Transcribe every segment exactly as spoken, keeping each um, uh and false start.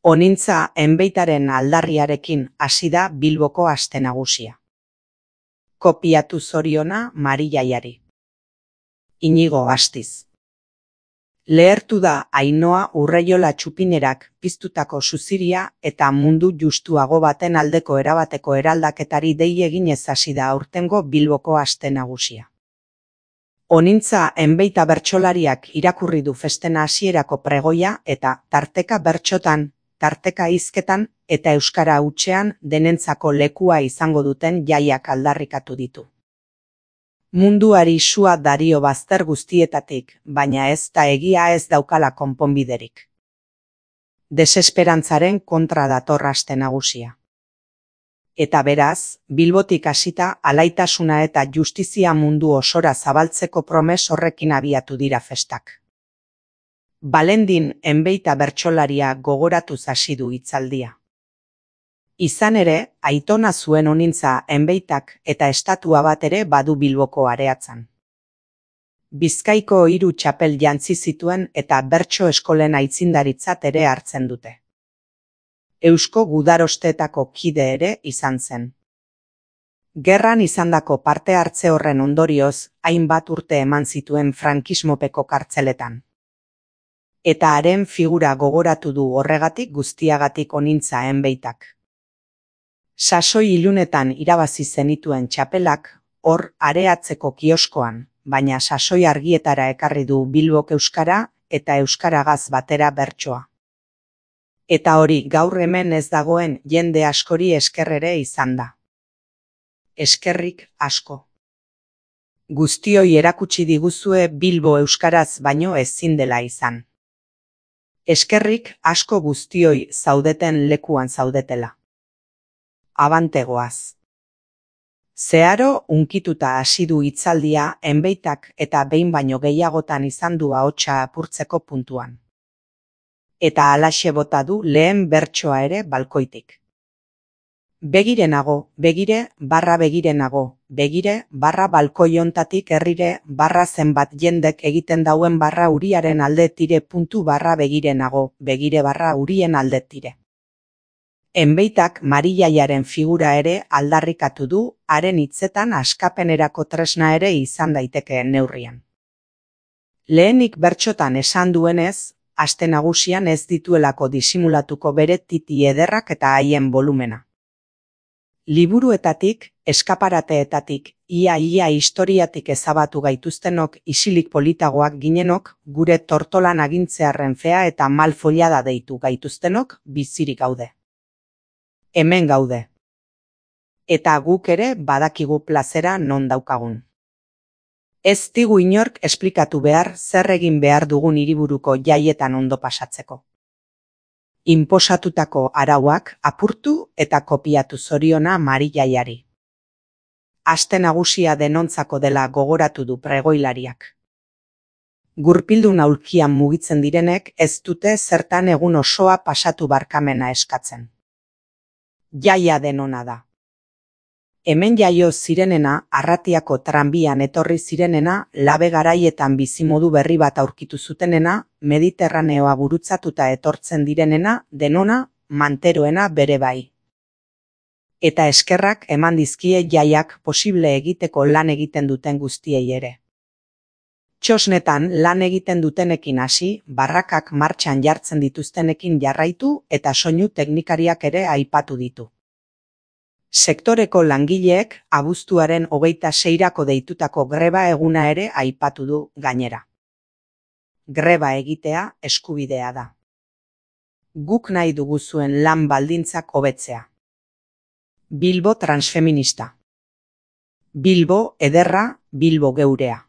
Honintza enbeitaren aldarriarekin hasi da Bilboko aste nagusia. Kopiatu zoriona Marijaiari. Inigo Astiz. Lehertu da Ainhoa Urreiola txupinerak piztutako suziria eta mundu justuago baten aldeko erabateko eraldaketari dei eginez hasi da aurtengo Bilboko aste nagusia. Honintza enbeita bertsolariak irakurri du festen hasierako pregoia eta tarteka bertsotan, tarteka hizketan eta euskara hutsean denentzako lekua izango duten jaiak aldarrikatu ditu. Munduari sua dario bazter guztietatik, baina ez da egia ez daukala konponbiderik. Desesperantzaren kontra dator aste nagusia. Eta beraz, Bilbotik hasita alaitasuna eta justizia mundu osora zabaltzeko promes horrekin abiatu dira festak. Balendin enbeita bertsolaria gogoratuz hasi du hitzaldia. Izan ere, aitona zuen honintza enbeitak eta estatua bat ere badu Bilboko areatzan. Bizkaiko hiru txapel jantzi zituen eta bertso eskolen aitzindaritzat ere hartzen dute. Eusko gudarosteetako kide ere izan zen. Gerran izandako parte hartze horren ondorioz, hainbat urte eman zituen frankismopeko kartzeletan. Eta haren figura gogoratu du horregatik guztiagatik honintza enbeitak. Sasoi ilunetan irabazi zenituen txapelak, hor areatzeko kioskoan, baina sasoi argietara ekarri du Bilbok euskara eta euskaragaz batera bertsoa. Eta hori gaur hemen ez dagoen jende askori esker ere izan da. Eskerrik asko. Guztioi erakutsi diguzue Bilbo euskaraz baino ezin dela izan. Eskerrik asko guztioi zaudeten lekuan zaudetela. Abantegoaz. Zeharo unkituta hasi du hitzaldia enbeitak eta behin baino gehiagotan izan du ahotsa apurtzeko puntuan. Eta halaxe bota du lehen bertsoa ere balkoitik. Begirenago, begire, barra begirenago, begire, barra balkoi hontatik herrire, barra zenbat jendek egiten dauen barra uriaren alde tire puntu barra begirenago, begire barra urien alde tire. Enbeitak Marijaiaren figura ere aldarrikatu du, haren hitzetan askapenerako tresna ere izan daitekeen neurrian. Lehenik bertsotan esan duenez, aste nagusian ez dituelako disimulatuko bere titi ederrak eta haien volumena. Liburuetatik, eskaparateetatik, ia-ia historiatik ezabatu gaituztenok isilik politagoak ginenok, gure tortolan agintzearren fea eta malfollada deitu gaituztenok bizirik gaude. Hemen gaude. Eta guk ere badakigu plazera non daukagun. Ez digu inork esplikatu behar zer egin behar dugun hiriburuko jaietan ondo pasatzeko. Inposatutako arauak apurtu eta kopiatu zoriona Marijaiari. Aste nagusia denontzako dela gogoratu du pregoilariak. Gurpildun aulkian mugitzen direnek ez dute zertan egun osoa pasatu barkamena eskatzen. Jaia denona da. Hemen jaio zirenena, Arratiako tranbian etorri zirenena, labe garaietan bizimodu berri bat aurkitu zutenena, Mediterraneoa gurutzatuta etortzen direnena, denona, manteroena bere bai. Eta eskerrak eman dizkie jaiak posible egiteko lan egiten duten guztiei ere. Txosnetan lan egiten dutenekin hasi, barrakak martxan jartzen dituztenekin jarraitu eta soinu teknikariak ere aipatu ditu. Sektoreko langileek abuztuaren hogeita seirako deitutako greba eguna ere aipatu du gainera. Greba egitea eskubidea da. Guk nahi dugu zuen lan baldintzak hobetzea. Bilbo transfeminista. Bilbo ederra, Bilbo geurea.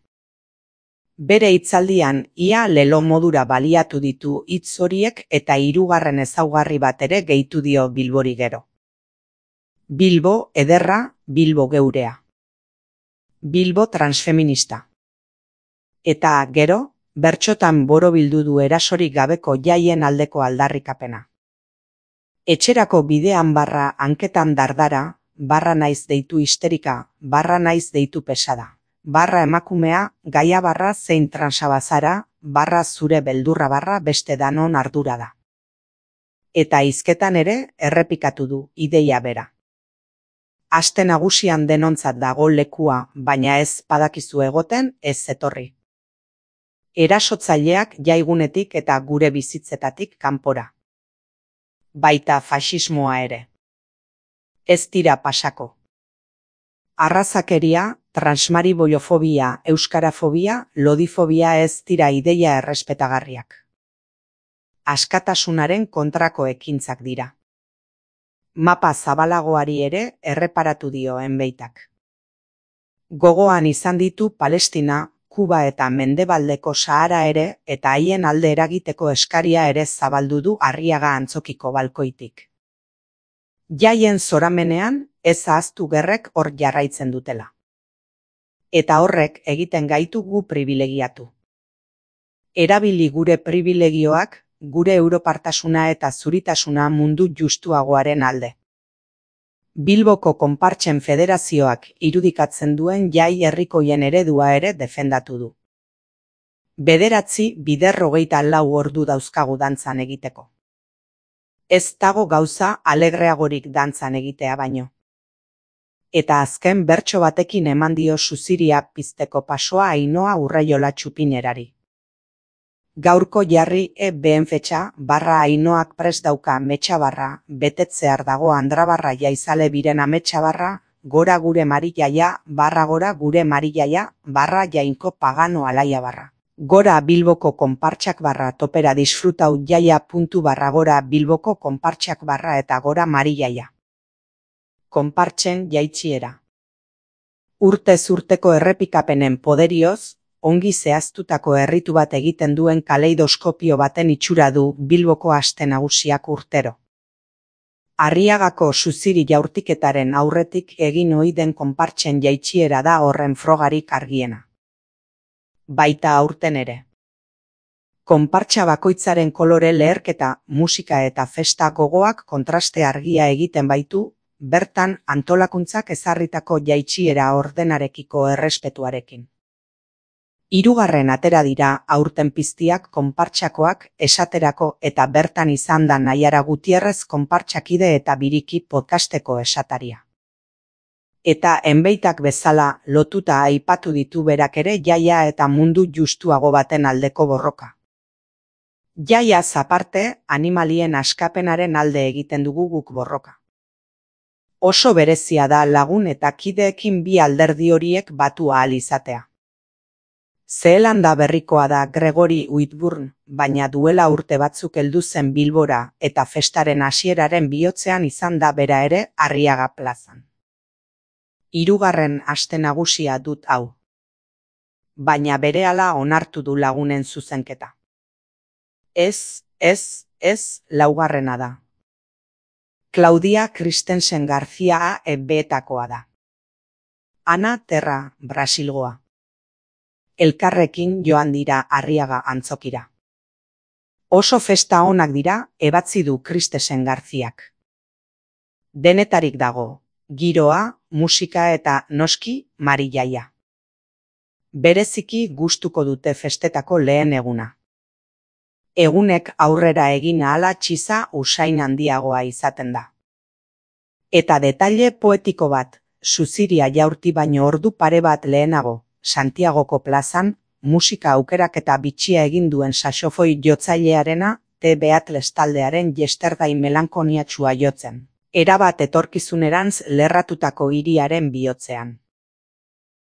Bere hitzaldian ia lelo modura baliatu ditu hitz horiek eta hirugarren ezaugarri bat ere gehitu dio Bilbori gero. Bilbo ederra, Bilbo geurea. Bilbo transfeminista. Eta gero, bertsotan borobildu du erasorik gabeko jaien aldeko aldarrikapena. Etxerako bidean barra hanketan dardara, barra naiz deitu histerika, barra naiz deitu pesada. Barra emakumea, gaia barra zein transabazara, barra zure beldurra barra beste danon ardura da. eta hizketan ere errepikatu du ideia bera. Aste nagusian denontzat dago lekua, baina ez badakizu egoten, ez etorri. Erasotzaileak jaigunetik eta gure bizitzetatik kanpora. Baita faxismoa ere. Ez dira pasako. Arrazakeria, transmariboiofobia, euskarafobia, lodifobia ez dira ideia errespetagarriak. Askatasunaren kontrako ekintzak dira. Mapa zabalagoari ere erreparatu dio Enbeitak. Gogoan izan ditu Palestina, Kuba eta Mendebaldeko Sahara ere eta haien alde eragiteko eskaria ere zabaldu du Arriaga antzokiko balkoitik. Jaien zoramenean ez ahaztu gerrek hor jarraitzen dutela. Eta horrek egiten gaitu gu pribilegiatu. Erabili gure pribilegioak, gure europartasuna eta zuritasuna mundu justuagoaren alde. Bilboko Konpartsen Federazioak irudikatzen duen jai herrikoien eredua ere defendatu du. Bederatzi bider hogeita lau ordu dauzkagu dantzan egiteko. Ez dago gauza alegreagorik dantzan egitea baino. Eta azken bertso batekin eman dio Suziria pizteko pasoa Ainoa Urraiola Txupinerari. Gaurko jarri e behen fetxa barra Ainoak prest dauka metxa barra, betetzear dago Andrabarra jaizale biren ametxa barra, gora gure marillaia, barra gora gure marillaia, barra jainko pagano alaia barra. Gora Bilboko Konpartsak barra topera disfrutau jaia puntu barra gora Bilboko Konpartsak barra eta gora marillaia. Konpartsen jaitxiera. Urtez urteko errepikapenen poderioz, ongi zehaztutako erritu bat egiten duen kaleidoskopio baten itxura du Bilboko aste nagusiak urtero. Arriagako Suziri jaurtiketaren aurretik egin ohi den konpartsen jaitsiera da horren frogarik argiena. Baita aurten ere. Konpartsa bakoitzaren kolore leherketa, musika eta festa gogoak kontraste argia egiten baitu, bertan antolakuntzak ezarritako jaitsiera ordenarekiko errespetuarekin. Hirugarren atera dira aurten piztiak konpartsakoak esaterako eta bertan izan da Naiara Gutierrez konpartsakide eta biriki podcasteko esataria. Eta Enbeitak bezala lotuta aipatu ditu berak ere jaia eta mundu justuago baten aldeko borroka. Jaia aparte, animalien askapenaren alde egiten dugu guk borroka. Oso berezia da lagun eta kideekin bi alderdi horiek batu ahal izatea. Zeelanda berrikoa da Gregory Whitburn, baina duela urte batzuk heldu zen Bilbora eta festaren hasieraren bihotzean izan da bera ere Arriaga plazan. Hirugarren aste nagusia dut hau. Baina berehala onartu du lagunen zuzenketa. Ez, ez, ez, laugarrena da. Claudia Christensen Garcia ebetakoa da. Ana Terra, Brasilgoa. Elkarrekin joan dira Arriaga antzokira. Oso festa onak dira, ebatzi du Christensen Garziak. Denetarik dago, giroa, musika eta noski marillaia. Bereziki gustuko dute festetako lehen eguna. Egunek aurrera egin ahala txiza usain handiagoa izaten da. Eta detaile poetiko bat, Suziria jaurti baino ordu pare bat lehenago, Santiagoko plazan, musika aukerak eta bitxia egin duen saxofoi jotzailearena, T. Beatles taldearen yesterday melankoniatsua jotzen. Erabat etorkizunerantz lerratutako hiriaren bihotzean.